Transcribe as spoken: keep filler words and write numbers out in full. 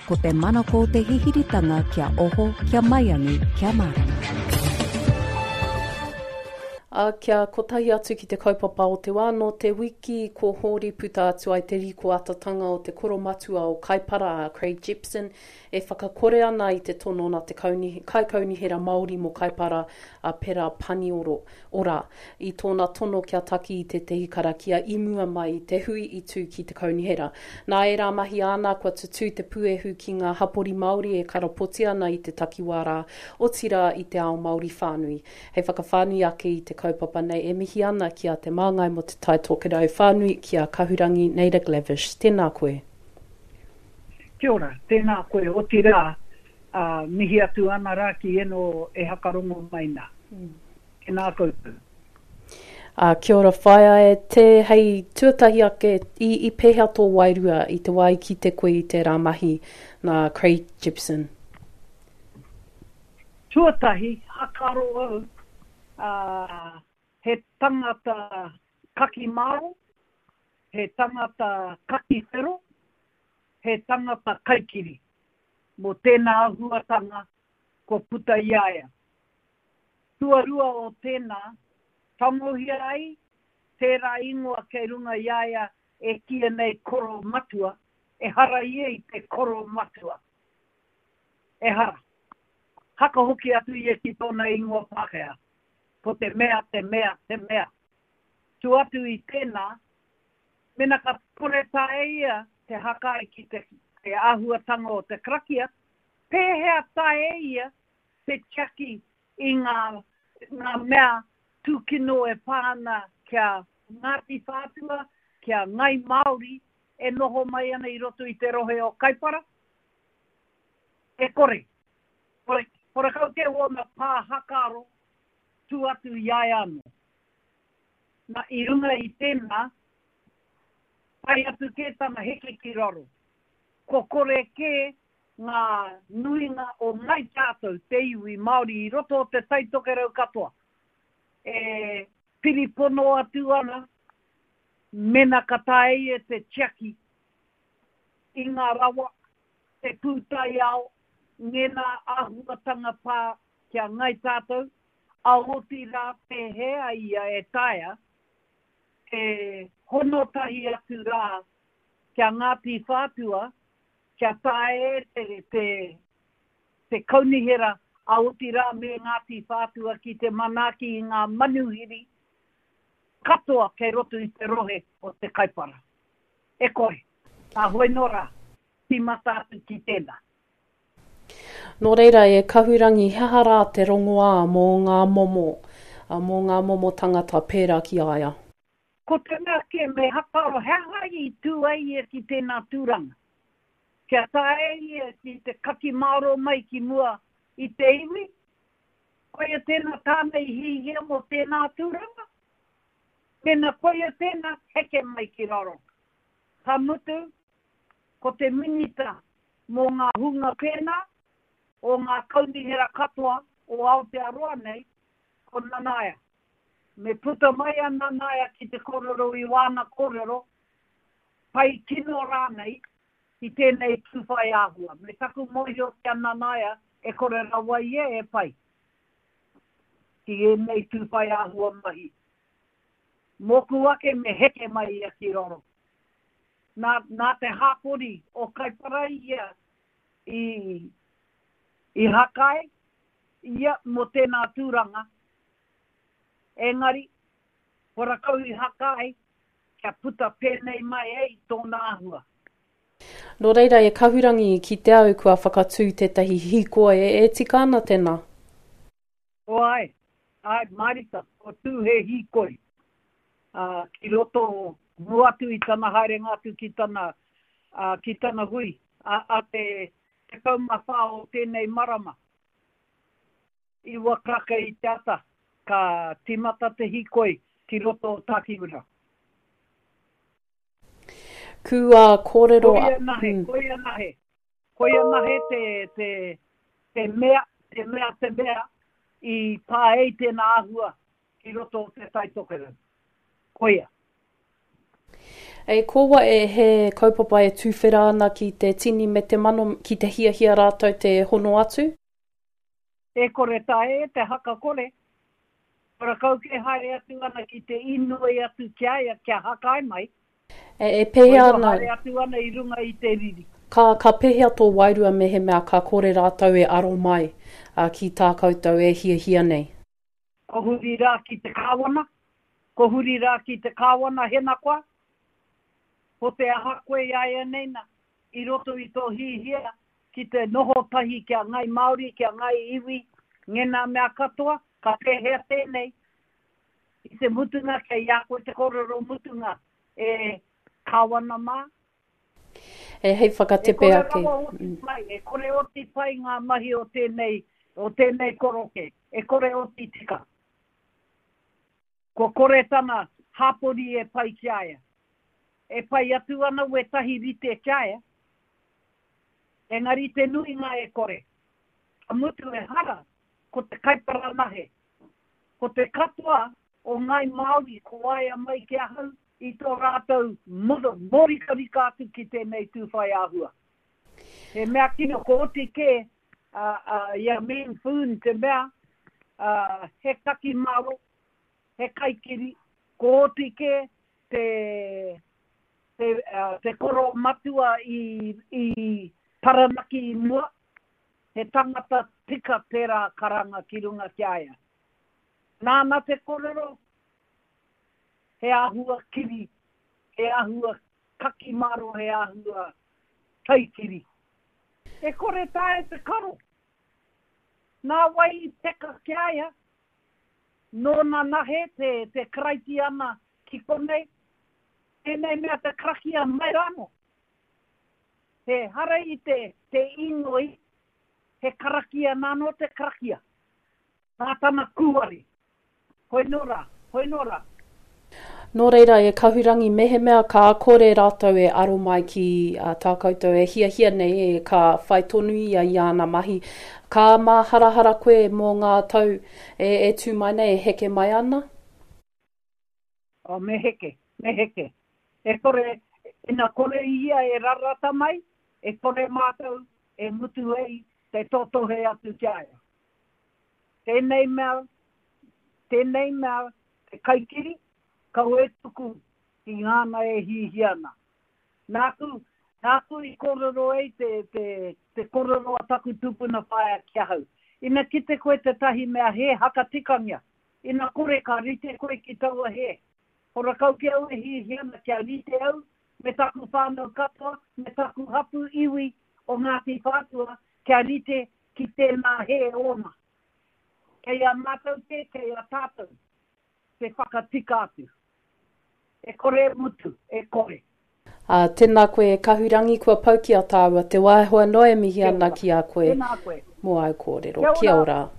Ko te manako o te hihiritanga kia oho, kia maiangi, kia mārama. Ā, kia kotahi atu ki te kaupapa o te wā, nō te wiki ko hori puta atu ai te rīkoatatanga o te koromatua o Kaipara a Craig Jepson e whakakore ana i te tono nā te kauni, kaikaunihera Māori mō Kaipara a Pera Panioro ora i tōna tono kia taki i tētehi karakia i mua mai i te hui i tū ki te kaunihera. Nā ērā mahi āna kua tutū te puehu ki ngā hapori Māori e karapoti ana i te takiwā rā, otirā i te ao Māori whānui. Hei whakawhānui ake i te kaupapa nei e mihi ana ki a Te Māngai mō Te Tai Tokerau whānui ki a Kahurangi Naida Glavish. Tēnā koe. Kia ora, tēnā koe, otirā, uh, mihi atu ana rā ki eno e hakarongo mai nā. Mm. Tēnā koutou. Uh, kia ora whaea e te hei tuatahi ake i, i pēhea tō wairua i te wā i kite koe i tērā mahi nā Craig Jepson? Tuatahi, hakaro au, uh, he tangata kaki māro, he tangata kaki whero, he tangata kaikiri. Mō tēnā āhuatanga kua puta i a ia. Tuarua o tēnā, tangohia ai tērā ingoa kei runga i a ia e kīia nei koro matua, ehara ia i te koro matua. Ehara. Haka hoki atu ia ki tōna ingoa Pākehā. Ko te mea, te mea, te mea. Tu atu i tēnā, mena ka kore tae ia te hakai ki te, te āhuatanga o te karakia, pēhea tae ia te tiaki i ngā, ngā mea tūkino e pā ana kia Ngāti Whātua, kia Ngai Māori e noho mai ana i roto i te rohe o Kaipara? E kore. Kore, kore kau te wōna pā hakaro tū atu i a ia anō. Nā, i runga i tēnā, pai atu kē tana heke ki raro. Ko kore kē ngā nuinga o ngai tātou, te iwi Māori i roto o te Tai Tokerau katoa, e piripono atu ana mena ka taea ia te tiaki i ngā rawa, te pūtaiao, ngēnā āhuatanga pā ki a ngai tātou, a otirā pēhea ia e taea te hono tahi atu rā ki a Ngāti Whātua, kia taea e te, te, te kaunihera a otirā me Ngāti Whātua ki te manaaki i ngā manuhiri katoa kei roto i te rohe o te Kaipara. E kore, nā hoi nō rā, tīmata atu ki tēnā. Nō reira e Kahurangi, he aha rā te rongoā mō ngā momo, mō ngā momo tangata pērā ki a ia? Ko te mea kē me hakaro he aha i tū ai ia ki tēnā tūranga. Kia taea ia ki te kaki mārō mai ki mua i te iwi, koia tēnā tāna i hihia mō tēnā tūranga? Mēnā koia tēnā, heke mai ki raro. Ka mutu, ko te minita mō ngā hunga pēnā, o ngā kaunihera katoa o Aotearoa nei, ko Nanaia. Me puta mai a Nanaia ki te kōrero i wāna kōrero, pai kino rānei, ki tēnei tūwhai āhua. Me taku mōhio ki a Nanaia e kore rawa ia e pai ki ēnei tūwhai āhua mahi. Mōku ake me heke mai ia ki raro. Nā, nā te hāpori o Kaipara ia i, i hakai ia mō tēnā tūranga, engari, horakau i hakai kia puta pēnei mai ei tōna āhua. Nō reira e Kahurangi, ki te au kua whakatū tētahi hīkoi e, e tika ana tēnā? O ai, ai, mārika, ko tū he hīkoi. Uh, ki roto mua atu i tana haerenga atu ki tana, uh, ki tana hui, a, a te tekau mā whā o tēnei marama. Iwa karaka i te ata, ka tīmata te hīkoi ki roto o Tākiwira. Kua kōrero... Koia nahe, koia nahe. Koia nahe te, te, te mea, te mea, te mea i pā ei tēnā āhua ki roto o te Tai Tokerau. Koia. E ko wai e he kaupapa e tuwhera ana ki te tini me te mano ki te hiahia rātou te hono atu? E kore taea te haka kore. Horakau ke haere atu ana ki te inoi atu ki a ia kia hakae mai. E, e pēhea Koe ana? Haere atu ana i runga i te riri. Ka, ka pēhea tō wairua mehemea ka kore rātou e aro mai a, ki tā koutou e hiahia nei? Ko huri rā ki te kāwana, ko huri rā ki te kāwana hena koa, ko te aha koe iaianei na, i roto i tō hihia ki te noho tahi ki a Ngai Māori, ki a Ngai Iwi, ngēnā mea katoa, ka pēhea tēnei? I te mutunga kei a koe te kōrero mutunga e kāwana mā. E hei E whakatepe kore ake. rawa oti pai, e kore oti pai ngā mahi o tēnei, o tēnei koroke, e kore oti tika. Kua kore tana hapori e pai ki a ia. E pai atu ana wētahi rite ki a ia, engari te nuinga e kore. Ka mutu ehara, ko te kaipara nahe. Ko te katoa o Ngāi Māori ko waea mai ki ahau i tō rātou mōrikarika atu ki tēnei tūwhai āhua. He mea kino, ko oti kē i a Meng Foon te mea, he kaki maro, he kaikiri, ko oti kē te, te, te koro matua i, i Taranaki i mua, he tangata tika tērā karanga ki runga ki a ia. Nāna te kōrero, he āhua kiri, he āhua kaki maro, he āhua kaikiri. E kore taea te karo. Nā wai i peka ki a ia? Nōna nahe te, te Karaitiana ki konei, tēnei mea te karakia mai rānō. He hara i te, te inoi, he karakia nānō te karakia. Nā tana kūare. Hoi nō rā, hoi nō rā. Nō reira, e Kahurangi, mehemea ka kore rātou e aro mai ki tā koutou e hiahia nei, e ka whai tonu ia i āna mahi, ka māharahara koe mō ngā tau e, e tū mai nei, e heke mai ana? Oh, me heke, me heke. E kore, ina kore ia e rarata mai, e kore mātou e mutu ai te totohe atu ki a ia. Tēnei mea, tēnei mea, te kaikiri, kaua e tuku ki ngāna e hihia ana. Nāku, nāku i kōrero ai te, te, te kōrero a taku tupuna whaea ki ahau. Ina kite koe tētahi mea hē, hakatikangia. Ina kore ka rite koe ki taua hē. Horakau ki au e hihia ana kia rite au me taku whānau katoa, me taku hapū iwi o Ngāti Whātua kia rite ki tēnā hē ōna. Kei a mātou kē, kei a tātou te whakatika atu. E kore e mutu, e kore. Ā, tēnā koe e Kahurangi, kua pau ki a tāua te wā, heoi anō e mihi Kia ana ora. ki a koe Tēnā koe. mō āu kōrero. Kia Kia ora. ora.